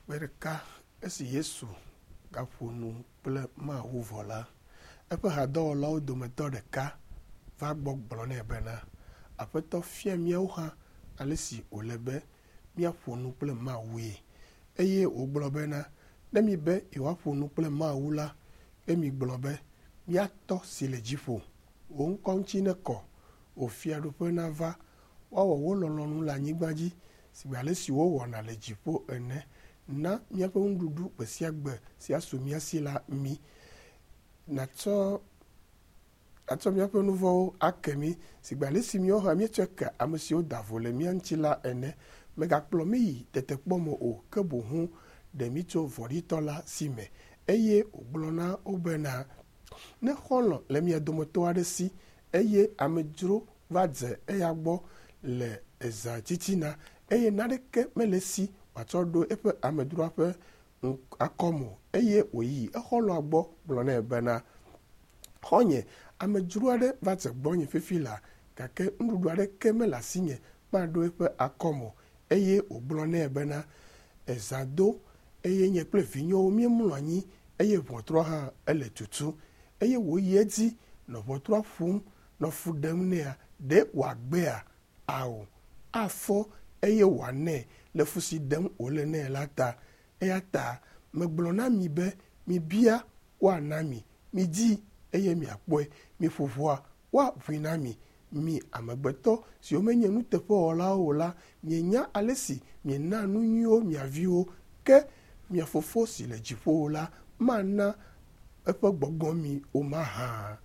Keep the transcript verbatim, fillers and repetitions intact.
Gbe ɖeka esi Yesu gaƒo nu kple Mawu vɔ la, eƒe hadɔwɔlawo dometɔ ɖeka va gbɔ gblɔ nɛ bena, Aƒetɔ fia míawo hã ale si wòle be míaƒo nu kple Mawue. Eye wògblɔ bena, ne mibe yewoaƒo nu kple Mawu la, ke migblɔ be, Mía Tɔ si le dziƒo, wò ŋkɔ ŋuti nekɔ, wò fiaɖuƒe nava, woawɔ wò lɔlɔ̃nu le anyigba dzi sigbe ale si wowɔna le dziƒo ene. Na míaƒe nuɖuɖu gbe sia gbe si asu mía si la mí. Nàtsɔ atsɔ míaƒe nu vɔ̃wo ake mí sigbe ale si míawo hã míetsɔe ke ame siwo da vo le mía ŋuti la ene. Mègakplɔ mí yi tetekpɔ me o, ke boŋ ɖe mí tso vɔ̃ɖitɔ la si me. Eye wògblɔ na wo bena, ne xɔlɔ̃ le mia dometɔ aɖe si eye amedzro va dze eya gbɔ le ezã titina eye naneke mele esi wòatsɔ ɖo eƒe amedzroa ƒe akɔme o eye wòyi exɔlɔ̃a gbɔ gblɔ nɛ bena, xɔ̃nye, amedzro aɖe va dze gbɔnye fifi laa gake nuɖuɖu aɖeke mele asinye maɖo eƒe akɔme o. Eye wògblɔ nɛ bena, ezã do eye nye kple vinyewo míemlɔ anyi eye ʋɔtrua hã ele tutu. Eye wòyi edzi nɔ ʋɔtrua ƒom nɔ fu ɖem nɛa, ɖe wòagbea? Ao, afɔ eye wòanɛ le fu si ɖem wòle nɛ la ta. Eya ta megblɔ na mi be mibia woana mi, midi eye miakpɔe, miƒo ʋɔa woaʋui na mi. Mi amegbetɔ siwo menye nuteƒewɔlawo o la, mienya ale si mienaa nu nyuiwo mia viwo, ke mia Fofo si le dziƒowo la mana eƒe gbɔgbɔ mi o mahã?